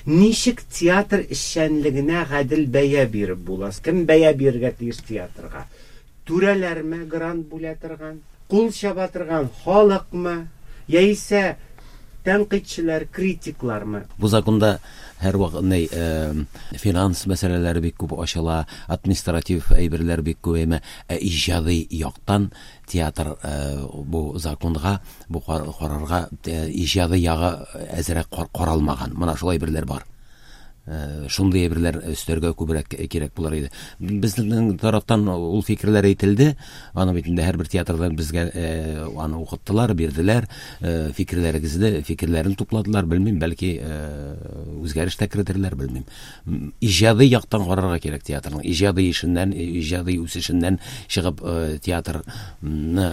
Ничек театр эшчәнлегенә гадел бәя биреп була? Кем бәя бирергә тиеш театрга? Түрәләрме грант бүлә торган? Кул чаба торган халыкмы? Яисә тәнкыйтьчеләр, критиклармы? Бу законда һәрвакыт ни, финанс мәсьәләләре бик күп ачыла, административ әйберләр бик күп, әмма ә иҗади яктан театр бу законга, бу карарга иҗади ягы әзрәк каралмаган. Менә шулай әйберләр бар. Шундый әйберләр өстәргә күбрәк кирәк булыр иде. Безнең тарафтан ул фикерләр әйтелде. Аны бит инде һәрбер театрдан безгә аны укыттылар, бирделәр, фикерләрегезне, фикерләрен тупладылар, белмим, бәлки үзгәреш тә кертерләр, белмим. Иҗади яктан карарга кирәк театрның. Иҗади эшеннән, иҗади үсешеннән чыгып театрны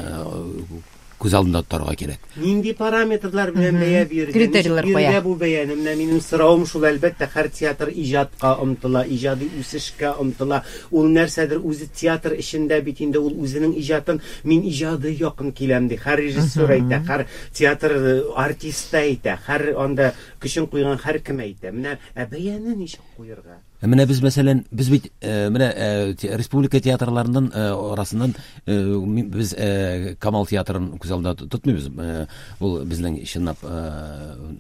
күз алдында тотарга кирәк. Нинди параметрлар белән бәя бирергә? Критерийлар Ничек куя. бирергә бу бәяне? Менә минем соравым шул, әлбәттә, һәр театр иҗатка омтыла, иҗади үсешкә омтыла. Ул нәрсәдер үзе театр эчендә бит инде ул үзенең иҗатын мин иҗади якын киләм ди. Һәр режиссер әйтә, һәр театр артисты әйтә, һәр анда көчен куйган һәр кем әйтә. Менә ә бәяне ничек куерга? Ә менә без, мәсәлән, без бит, менә, республика театрларыннан, арасыннан, без Камал театрын күз алдында тотмыйбыз. Ул безнең чынлап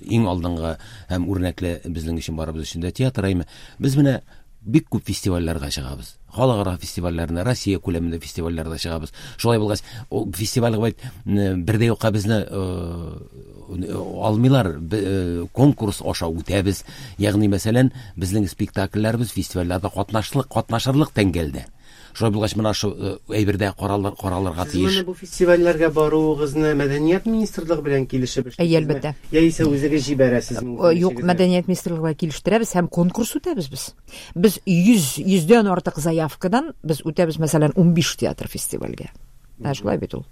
иң алдынгы һәм үрнәкле безнең өчен барыбыз өчен дә театр, әйме. Без менә бик күп фестивальләргә чыгабыз. Халыкара фестивальләренә, Россия күләмендә фестивальләргә чыгабыз. Шулай булгач, ул фестивальгә бит бер дә юкка безне алмыйлар, конкурс аша үтәбез. Ягъни, мәсәлән, безнең спектакльләребез фестивальләрдә катнашырлык тәңгәлдә. Шулай булгач, менә шу әйбердә каралырга Сез тиеш. моны бу фестивальләргә баруыгызны Мәдәният министрлыгы белән килешеп эшлисезме? Әйе, әлбәттә. Яисә үзегез җибәрәсезме? Юк, Мәдәният министрлыгы белән килештерәбез һәм конкурс үтәбез без. Без йөздән артык заявкадан без үтәбез, мәсәлән, 15 театр фестивальгә. Ә шулай бит ул.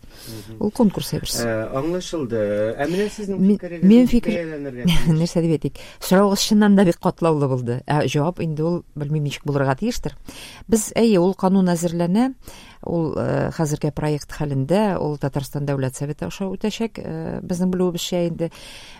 Ул конкурс әйберсе. Аңлашылды. Ә менә сезнең фикерегез Минем ничек фикер бәяләнергә тиеш? Нәрсә дип әйтик? Соравыгыз чыннан да бик катлаулы булды. Ә җавап инде ул белмим ничек булырга тиештер. Без, әйе, ул канун әзерләнә. Ул хәзергә проект хәлендә, ул Татарстан Дәүләт Советы аша үтәчәк, безнең белүебезчә инде.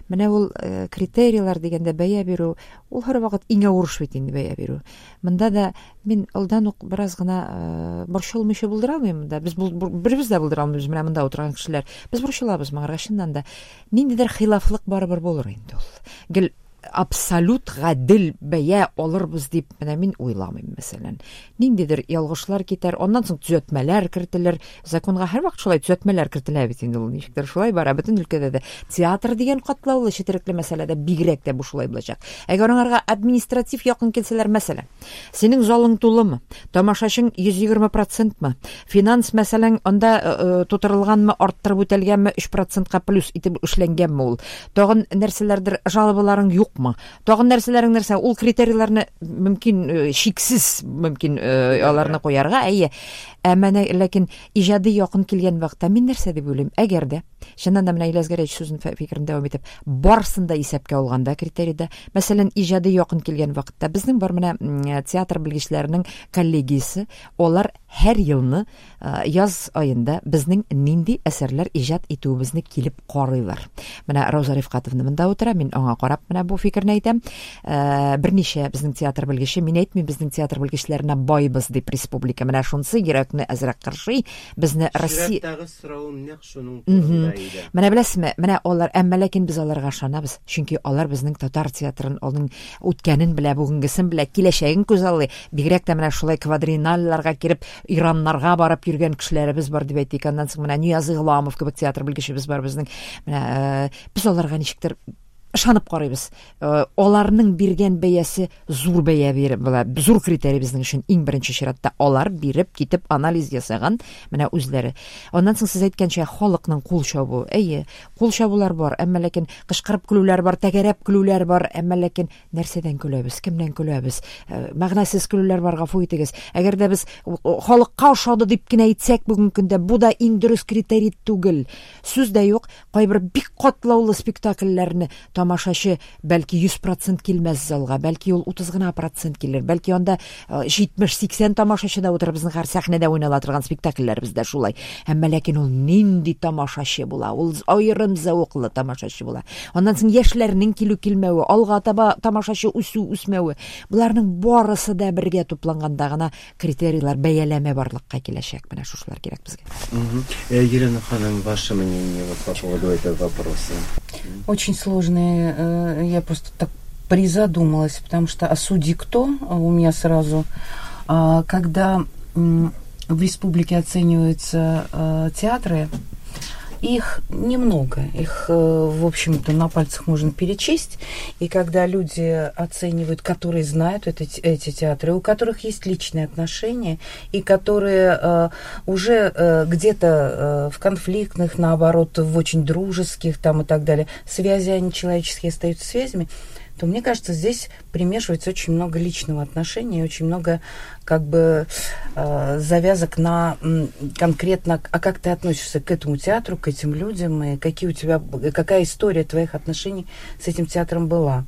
Менә ул критерийлар дигәндә бәя бирү, ул һәрвакыт иң авыр эш бит инде бәя бирү. Монда да мин алдан ук бераз гына борчылмыйча булдыра алмыйм монда. Без беребез дә булдыра алмыйбыз, менә монда утырган кешеләр. Без борчылабыз моңарга чыннан да. Ниндидер хилафлык барыбер булыр инде ул. Гел абсолют гадел бәя алырбыз дип менә мин уйламыйм, мәсәлән. Ниндидер ялгышлар китәр, аннан соң төзәтмәләр кертелер. Законга һәрвакыт шулай төзәтмәләр кертелә бит инде ул, ничектер шулай бара бөтен өлкәдә дә. Театр дигән катлаулы, четерекле мәсьәләдә бигрәк тә бу шулай булачак. Әгәр аңарга административ якын килсәләр, мәсәлән, синең залың тулымы, тамашачың йөз егерме процентмы, финанс мәсәлән анда тутырылганмы, арттырып үтәлгәнме, өч процентка плюс итеп эшләнгәнме ул, тагын нәрсәләрдер жалобаларың юкмы, тагын нәрсәләрең нәрсә, ул критерийларны мөмкин чиксез мөмкин аларны куярга, әйе. Ә менә ләкин иҗади якын килгән вакытта мин нәрсә дип уйлыйм? Әгәр дә чыннан да менә Ильяс Гәрәевич сүзен фикерен дәвам итеп, барысын да исәпкә алганда критерийда, мәсәлән, иҗади якын килгән вакытта безнең бар менә театр белгечләренең коллегиясе, алар һәр елны яз аенда безнең нинди әсәрләр иҗат итүебезне килеп карыйлар. Менә Рауза Рифкатовна монда утыра, мин аңа карап менә бу фикерне әйтәм. Берничә безнең театр белгече, мин әйтмим безнең театр белгечләренә байбыз дип республика. Менә шунысы йөрәкне әзрәк кыршый. Безне Россия Чираттагы соравым нәкъ шуның турында иде. Менә беләсезме, менә алар, әмма ләкин без аларга ышанабыз, чөнки алар безнең татар театрын, аның үткәнен белә, бүгенгесен белә, киләчәген күзаллый. Бигрәк тә менә шулай квадриналларга кереп, Ираннарга барып йөргән кешеләребез бар дип әйтик. Аннан соң менә Нияз Игъламов кебек театр белгечебез бар безнең. Менә без аларга ничектер ышанып карыйбыз. Аларның биргән бәясе зур бәя биреп була. Зур критерий безнең өчен иң беренче чиратта. Алар биреп китеп анализ ясаган менә үзләре. Аннан соң сез әйткәнчә халыкның кул чабуы. Әйе, кул чабулар бар, әмма ләкин кычкырып көлүләр бар, тәгәрәп көлүләр бар, әмма ләкин нәрсәдән көләбез, кемнән көләбез? Мәгънәсез көлүләр бар, гафу итегез. Әгәр дә без халыкка ошады дип кенә әйтсәк бүгенге көндә, бу да иң дөрес критерий түгел. Сүз дә юк, кайбер бик катлаулы спектакльләрне Тамашачы бәлки 100% килмәс залга, бәлки ул 30 гына процент килер, бәлки анда 70-80 тамашачы да утырыр, безнең һәр сәхнәдә уйнала торган спектакльләребездә шулай. Әмма ләкин ул нинди тамашачы була? Ул аерым зәвыклы тамашачы була. Аннан соң яшьләрнең килү-килмәве, алга таба тамашачы үсү-үсмәве, боларның барысы да бергә тупланганда гына критерийлар, бәяләмә барлыкка киләчәк. Менә шушылар кирәк безгә. Елена ханым, ваше мнение вот по поводу этого вопроса? Очень сложный, я просто так призадумалась, потому что а судьи кто у меня сразу, когда в республике оцениваются театры, их немного, их, в общем-то, на пальцах можно перечесть. И когда люди оценивают, которые знают эти театры, у которых есть личные отношения, и которые уже где-то в конфликтных, наоборот, в очень дружеских там и так далее, связи, они человеческие остаются связями, то, мне кажется, здесь примешивается очень много личного отношения, очень много как бы завязок на конкретно, а как ты относишься к этому театру, к этим людям, и какие у тебя, какая история твоих отношений с этим театром была.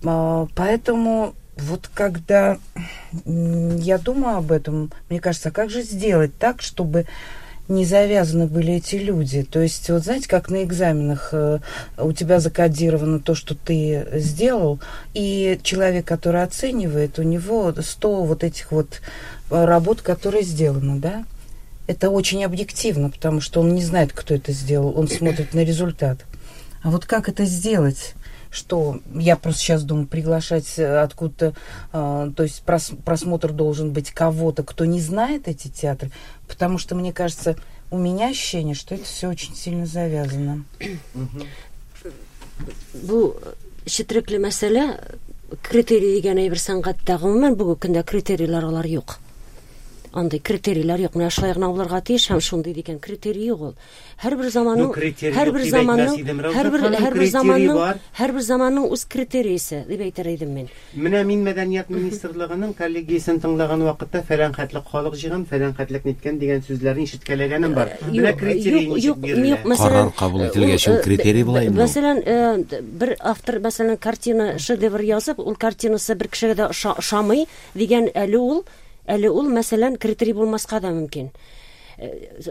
Поэтому вот когда я думаю об этом, мне кажется, а как же сделать так, чтобы не завязаны были эти люди. То есть, вот знаете, как на экзаменах у тебя закодировано то, что ты сделал, и человек, который оценивает, у него 100 вот этих вот работ, которые сделаны, да? Это очень объективно, потому что он не знает, кто это сделал, он смотрит на результат. А вот как это сделать? Что я просто сейчас думаю, приглашать откуда-то, то есть просмотр должен быть кого-то, кто не знает эти театры, потому что, мне кажется, у меня ощущение, что это все очень сильно завязано. Бу четерекле мәсьәлә, критерий дигән әйбер сәнгатьтә гомумән бүгенге көндә критерийлар алар юк. Андый критерийлар юк. Менә шулай гына булырга тиеш һәм шундый дигән критерий юк ул. Һәрбер заманның, һәрбер заманның, һәрбер заманның, һәрбер заманның үз критериясе дип әйтер идем мин. Менә мин мәдәният министрлыгының коллегиясен тыңлаган вакытта фәлән хәтлек халык җыйган, фәлән хәтлек ниткән дигән сүзләрне ишеткәләгәнем бар. Менә критерий ничек бирелә? Карар кабул ителгәч ул критерий була инде. Мәсәлән, бер автор, мәсәлән, картина, шедевр язып, ул картинасы бер кешегә дә ошамый дигән әле ул, әле ул, мәсәлән, критерий булмаска да мөмкин.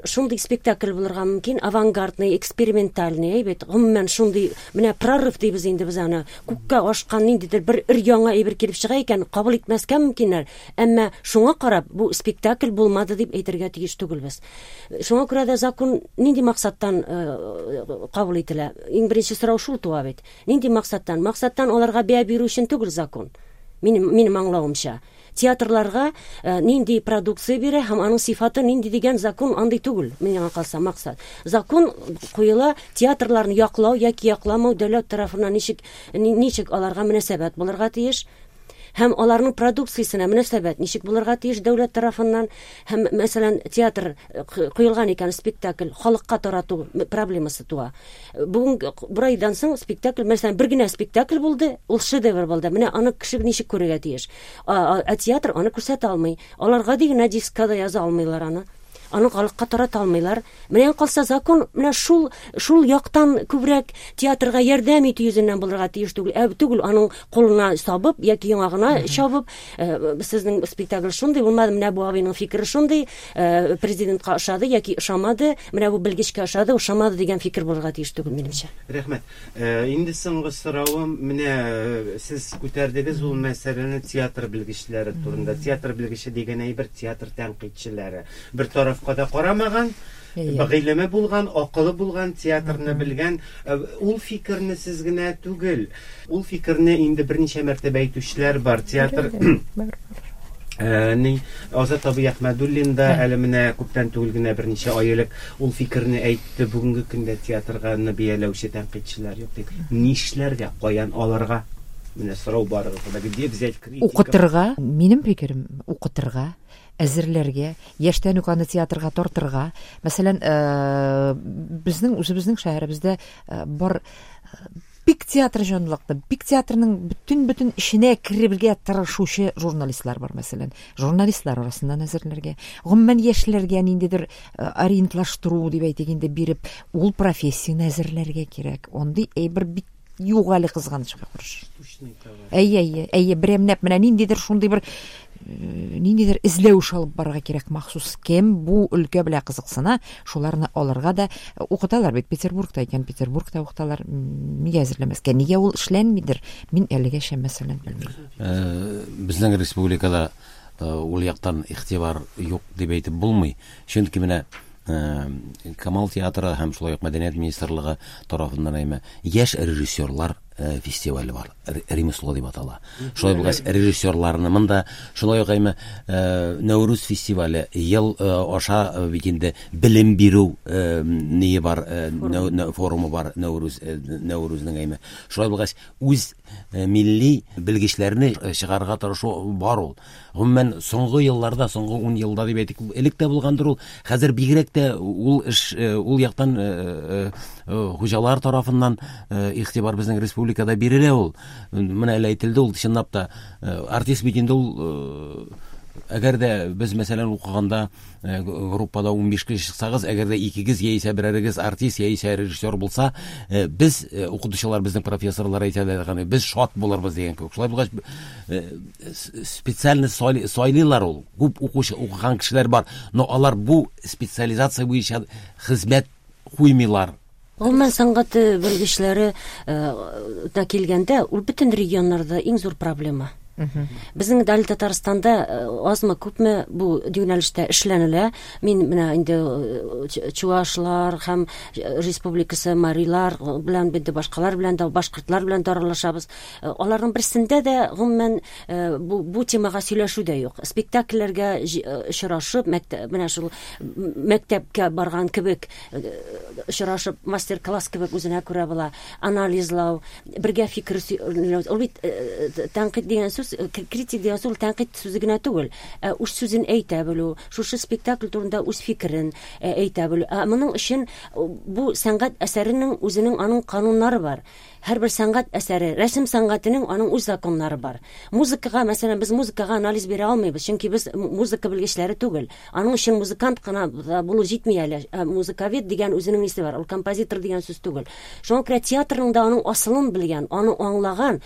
Шундый спектакль булырга мөмкин, авангардный, экспериментальный, әйбәт. Гомумән шундый, менә прорыв дибез инде без аны. Күккә ашкан ниндидер бер өр-яңа әйбер килеп чыга икән, кабул итмәскә мөмкиннәр. Әмма шуңа карап, бу спектакль булмады дип әйтергә тиеш түгелбез. Шуңа күрә дә закон нинди максаттан кабул ителә? Иң беренче сорау шул туа бит. Нинди максаттан? Максаттан аларга бәя бирү өчен түгел закон. Минем аңлавымча. Театрларга нинди продукция бирә һәм аның сифаты нинди дигән закон андый түгел, миңа калса максат. Закон куела театрларны яклау яки якламау дәүләт тарафыннан ничек аларга мөнәсәбәт булырга тиеш һәм аларның продукциясенә мөнәсәбәт ничек булырга тиеш дәүләт тарафыннан һәм, мәсәлән, театр куелган икән спектакль халыкка тарату проблемасы туа. Бүген бер айдан соң спектакль, мәсәлән, бер генә спектакль булды, ул шедевр булды. Менә аны кеше ничек күрергә тиеш? Ә театр аны күрсәтә алмый. Алар гади генә дискка да яза алмыйлар аны. Аны халыкка тарата алмыйлар. Менә калса закон менә шул яктан күбрәк театрга ярдәм итү йөзеннән булырга тиеш түгел. Ә түгел аның кулына сабып яки яңагына чабып, сезнең спектакль шундый булмады, менә бу абыйның фикере шундый, президентка ошады яки ошамады, менә бу белгечкә ошады, ошамады дигән фикер булырга тиеш түгел минемчә. Рәхмәт. Инде соңгы соравым, менә сез күтәрдегез ул мәсьәләне театр белгечләре турында. Театр белгече дигән әйбер театр тәнкыйтьчеләре. Бер тарафка да карамаган, гыйлеме булган, акылы булган, театрны белгән. Ул фикерне сез генә түгел. Ул фикерне инде берничә мәртәбә әйтүчеләр бар. Театр Азат абый Әхмәдуллин да әле менә күптән түгел генә берничә ай элек ул фикерне әйтте. Бүгенге көндә театрга бәяләүче тәнкыйтьчеләр юк дип. Нишләргә, каян алырга? Менә сорау барыгызда да. Где взять критиков? Укытырга, минем фикерем, укытырга, әзерләргә, яшьтән үк аны театрга тартырга. Мәсәлән, безнең үзебезнең шәһәребездә бар бик театр җанлыклы, бик театрның бөтен-бөтен эшенә керергә тырышучы журналистлар бар, мәсәлән. Журналистлар арасыннан әзерләргә. Гомумән яшьләргә ниндидер ориентлаштыру дип әйтик инде биреп, ул профессияне әзерләргә кирәк. Андый әйбер бик Юк әле, кызганычка каршы. Әйе, әйе, әйе, берәмләп менә ниндидер шундый бер ниндидер эзләү эше алып барырга кирәк махсус. Кем бу өлкә белән кызыксына, шуларны алырга да укыталар бит Петербургта икән, Петербургта укыталар. Нигә әзерләмәскә? Нигә ул эшләнмидер? Мин әлегәчә мәсәлән белмим. Безнең республикада ул яктан игътибар юк дип әйтеп булмый. Чөнки менә Камал театры һәм шулай ук Мәдәният министрлыгы тарафыннан әйме яшь режиссерлар фестивале бар, Ремесло дип атала. Шулай булгач, режиссерларны монда шулай ук әйме Нәүрүз фестивале ел аша бит инде белем бирү ние бар, форумы бар Нәүрүз, Нәүрүзнең әйме. Шулай булгач, үз милли белгечләрне чыгарырга тырышу бар ул. Гомумән, соңгы елларда, соңгы 10 елда дип әйтик, элек тә булгандыр ул, хәзер бигрәк тә ул эш, ул яктан хуҗалар тарафыннан игътибар безнең республикада бирелә ул. Менә әле әйтелде ул, чынлап та, артист бит инде ул, әгәр дә без, мәсәлән, укыганда группада 15 кеше чыксагыз, әгәр дә икегез яисә берәрегез артист яисә режиссер булса, без, укытучылар, безнең профессорлар әйтәләр, без шат булырбыз дигән кебек. Шулай булгач, специально сайлыйлар ул. Күп укучы, укыган кешеләр бар, но алар бу специализация буенча хезмәт куймыйлар. Гомумән, сәнгать белгечләре да килгәндә, ул бөтен регионнарда иң зур проблема. Безнең дә әле Татарстанда азмы күпме бу юнәлештә эшләнелә. Мин менә инде чуашлар һәм республикасы марилар белән инде башкалар белән дә, башкортлар белән дә аралашабыз. Аларның берсендә дә гомумән бу темага сөйләшү дә юк. Спектакльләргә очрашып, менә шул мәктәпкә барган кебек очрашып, мастер-класс кебек үзенә күрә була, анализлау, бергә фикер ул бит тәнкыйть дигән сүз, критик дигән сүз ул тәнкыйть сүзе генә түгел, ә үз сүзен әйтә белү, шушы спектакль турында үз фикерен әйтә белү. Ә моның өчен бу сәнгать әсәренең үзенең аның кануннары бар. Һәрбер сәнгать әсәре, рәсем сәнгатенең аның үз законнары бар. Музыкага, мәсәлән, без музыкага анализ бирә алмыйбыз, чөнки без музыка белгечләре түгел. Аның өчен музыкант кына булу җитми әле. Музыковед дигән үзенең исе бар, ул композитор дигән сүз түгел. Шуңа күрә театрның да аның асылын белгән, аны аңлаган,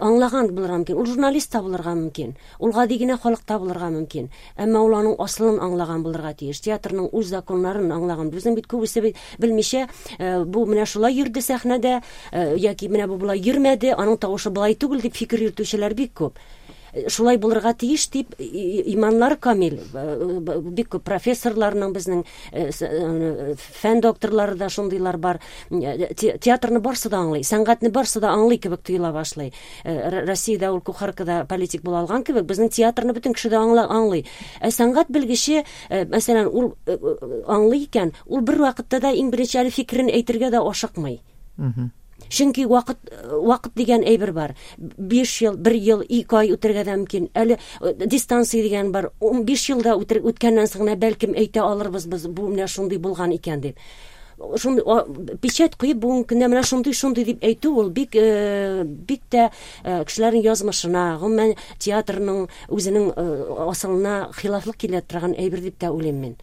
аңлаган булырга мөмкин. Ул журналист та булырга мөмкин, ул гади генә халык та булырга мөмкин. Әмма ул аның асылын аңлаган булырга тиеш. Театрның үз законнарын аңлаган. Безнең бит күбесе бит белмичә, бу менә шулай йөрде сәхнәдә, яки менә бу болай йөрмәде, аның тавышы болай түгел дип фикер йөртүчеләр бик күп. Шулай булырга тиеш дип иманнары камил. Бик күп профессорларның безнең фән докторлары да шундыйлар бар. Театрны барсы да аңлый, сәнгатьне барсы да аңлый кебек тоела башлый. Россиядә ул кухаркада политик була алган кебек, безнең театрны бөтен кеше дә аңлый. Ә сәнгать белгече, мәсәлән, ул аңлый икән, ул бер вакытта да иң беренче әле фикерен әйтергә дә ашыкмый. Чөнки вакыт дигән әйбер бар. 5 ел, 1 ел, 2 ай үтергә дә мөмкин. Әле дистанция дигән бар. 15 ел да үткәннән соң гына бәлкем әйтә алырбыз без бу менә шундый булган икән дип. Шундый печать куеп бүгенге көндә менә шундый шундый дип әйтү ул бик тә кешеләрнең язмышына, гомумән театрның үзенең асылына хилафлык килә торган әйбер дип тә уйлыйм мин.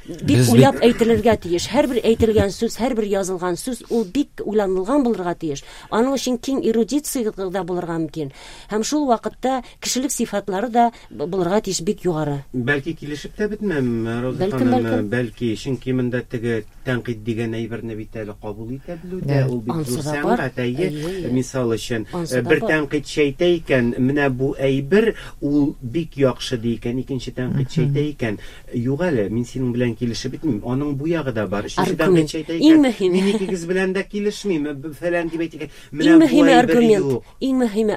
Бик уйлап әйтелергә тиеш. Һәрбер әйтелгән сүз, һәрбер язылган сүз ул бик уйланылган булырга тиеш. Аның өчен киң эрудиция да булырга мөмкин. Һәм шул вакытта кешелек сыйфатлары да булырга тиеш бик югары. Бәлки килешеп тә бетмәм, Роза ханым, бәлки, чөнки монда теге тәнкыйть дигән әйберне бит әле кабул итә белү дә, ул бит зур сәнгать, әйе. Мисал өчен, бер тәнкыйтьче әйтә икән, менә бу әйбер ул бик яхшы ди икән, икенче тәнкыйтьче әйтә икән, юк әле, мин синең белән килешеп бетмим, аның бу ягы да бар. Өченче тәнкыйтьче әйтә икән, мин икегез белән дә килешмим, фәлән дип әйтә икән, менә бу әйбер юк. Иң мөһиме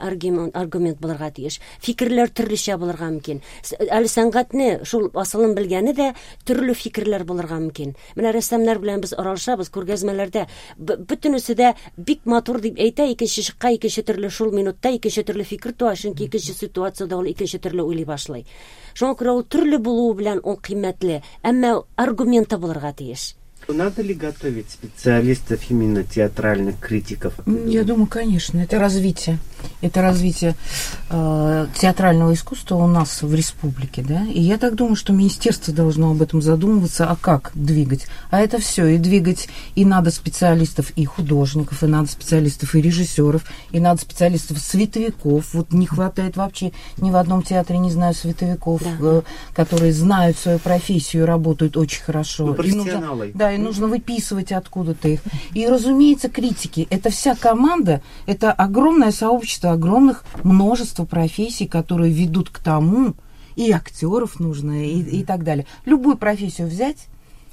аргумент булырга тиеш. Фикерләр төрлечә булырга мөмкин. Әле сәнгатьне шул асылын белгәне дә төрле фикерләр булырга мөмкин. Менә рәссамнар белән без аралашабыз күргәзмәләрдә. Бөтенесе дә бик матур дип әйтә, икенче чыкка икенче төрле шул минутта икенче төрле фикер туа, чөнки икенче ситуациядә ул икенче төрле уйлый башлый. Шуңа күрә ул төрле булуы белән ул кыйммәтле, әмма аргументы булырга тиеш. Надо ли готовить специалистов, именно театральных критиков? Я думаю, конечно, это развитие. Это развитие театрального искусства у нас в республике, да. И я так думаю, что министерство должно об этом задумываться, а как двигать. А это все, и двигать, и надо специалистов, и художников, и надо специалистов, и режиссеров, и надо специалистов световиков. Вот не хватает вообще ни в одном театре, не знаю, световиков, да, которые знают свою профессию и работают очень хорошо. Ну, профессионалы. И нужно, да, и нужно выписывать откуда-то их. И, разумеется, критики. Это вся команда, это огромное сообщество, огромных множество профессий, которые ведут к тому, и актеров нужно, и так далее. Любую профессию взять,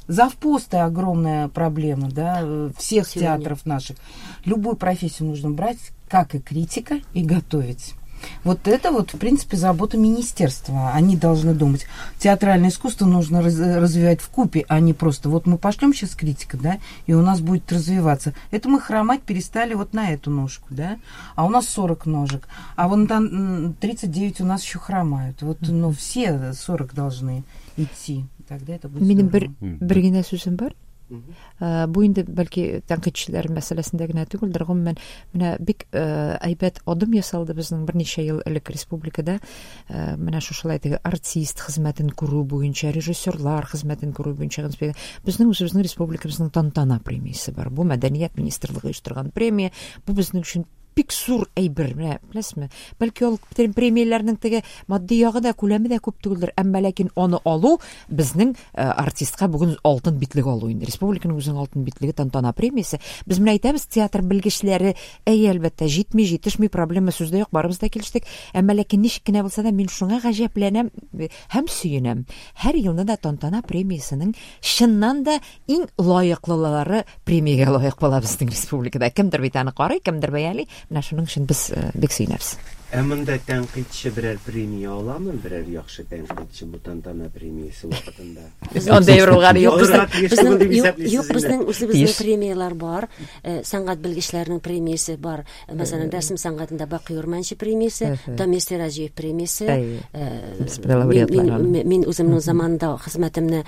завпосты огромная проблема, да, всех сегодня театров наших. Любую профессию нужно брать, как и критика, и готовить. Вот это вот, в принципе, забота министерства. Они должны думать. Театральное искусство нужно развивать вкупе, а не просто вот мы пошлем сейчас критика, да, и у нас будет развиваться. Это мы хромать перестали вот на эту ножку, да, а у нас 40 ножек, а вон там 39 у нас еще хромают. Вот, ну, все 40 должны идти. Тогда это будет Минем здорово. бер генә сүзем бар. Бу инде бәлки тәнкыйтьчеләр мәсьәләсендә генә түгелдер, гомумән менә бик әйбәт адым ясалды безнең берничә ел элек республикада. Менә шушылай теге артист хезмәтен күрү буенча, режиссерлар хезмәтен күрү буенча безнең үзебезнең республикабызның Тантана премиясе бар. Бу мәдәният министрлыгы оештырган премия. Бу безнең өчен бик зур әйбер, менә беләсезме? Бәлки ул премияләрнең теге матди ягы да, күләме дә күп түгелдер, әмма ләкин аны алу безнең артистка бүген алтын битлек алу инде. Республиканың үзенең алтын битлеге Тантана премиясе. Без менә әйтәбез, театр белгечләре, әй, әлбәттә, җитми, җитешми, проблема сүздә юк, барыбыз да килештек. Әмма ләкин ничек кенә булса да, мин шуңа гаҗәпләнәм һәм сөенәм. Һәр елны да Тантана премиясенең чыннан да иң лаеклылары премиягә лаек була безнең республикада. Кемдер бит аны карый, кемдер бәяли. Менә шуның өчен без бик сөенәбез. Ә монда тәнкыйтьче берәр премия аламы? Берәр яхшы тәнкыйтьче бу Тантана премиясе вакытында? Андый бер булганы юк. Алырга тиеш түгел дип исәплисез Юк, инде. безнең үзебезнең Тиеш. премияләр бар. Сәнгать белгечләренең премиясе бар. Мәсәлән, рәсем сәнгатендә Бакый Урманче премиясе, Дамир Сираҗиев премиясе. Әйе. Без бер лауреатлар аның. Мин үземнең заманында хезмәтемне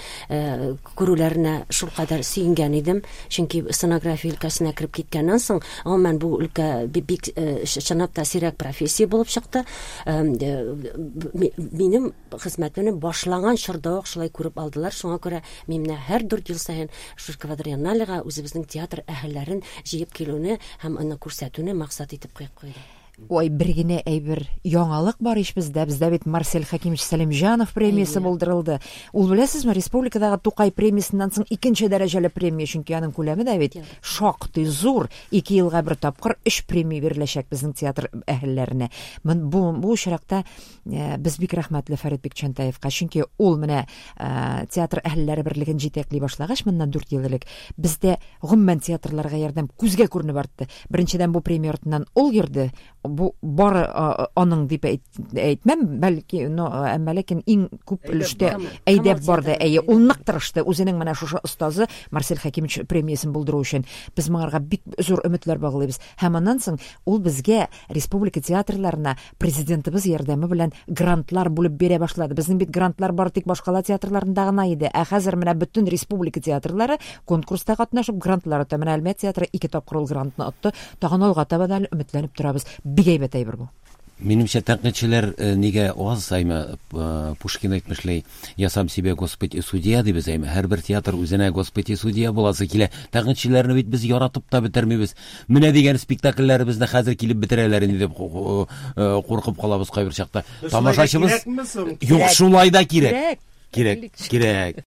күрүләренә шулкадәр сөенгән идем, чөнки сценография өлкәсенә кереп киткәннән соң, гомумән бу өлкә бик чынлап та сирәк профессия булып чыкты. Минем хезмәтемне башланган чорда ук шулай күреп алдылар. Шуңа күрә мин менә һәр 4 ел саен шушы квадриенналега үзебезнең театр әһелләрен җыеп килүне һәм аны күрсәтүне максат итеп куеп куйдым. Ой, бер генә әйбер яңалык бар ич бездә. Бездә бит Марсель Хәкимович Сәлимҗанов премиясе булдырылды. Ул, беләсезме, республикадагы Тукай премиясеннән соң икенче дәрәҗәле премия, чөнки аның күләме дә бит шактый зур. 2 елга бер тапкыр 3 премия биреләчәк безнең театр әһелләренә. Бу очракта без бик рәхмәтле Фәрит Бикчәнтаевка, чөнки ул менә театр әһелләре берлеген җитәкли башлагач, моннан 4 ел элек бездә гомумән театрларга ярдәм күзгә күренеп артты. Беренчедән, бу премия артыннан ул йөрде. Бу бары аның дип әйтмәм, бәлки, но, әмма ләкин иң күп Әйдәп өлештә барды. әйдәп Камал барды. театры Әйе, әйдәп. ул нык тырышты үзенең менә шушы остазы Марсель Хәкимович премиясен булдыру өчен. Без моңарга бик зур өметләр баглыйбыз. Һәм аннан соң ул безгә республика театрларына президентыбыз ярдәме белән грантлар бүлеп бирә башлады. Безнең бит грантлар бары тик башкала театрларында гына иде. Ә хәзер менә бөтен республика театрлары конкурста катнашып грантлар ота. Менә Әлмәт театры 2 тапкыр ул грантны отты. Тагын алга таба да әле өметләнеп торабыз. Бик әйбәт әйбер бу. Минемчә, тәнкыйтьчеләр нигә аз, әйме, Пушкин әйтмешләй, я сам себе Господь и судья дибез, әйме, һәрбер театр үзенә Господь и судья буласы килә. Тәнкыйтьчеләрне бит без яратып та бетермибез. Менә дигән спектакльләребезне хәзер килеп бетерәләр инде дип куркып калабыз кайбер чакта. Шулай да Тамашачыбыз кирәкме соң? Юк, шулай да кирәк. Кирәк. Кирәк, кирәк.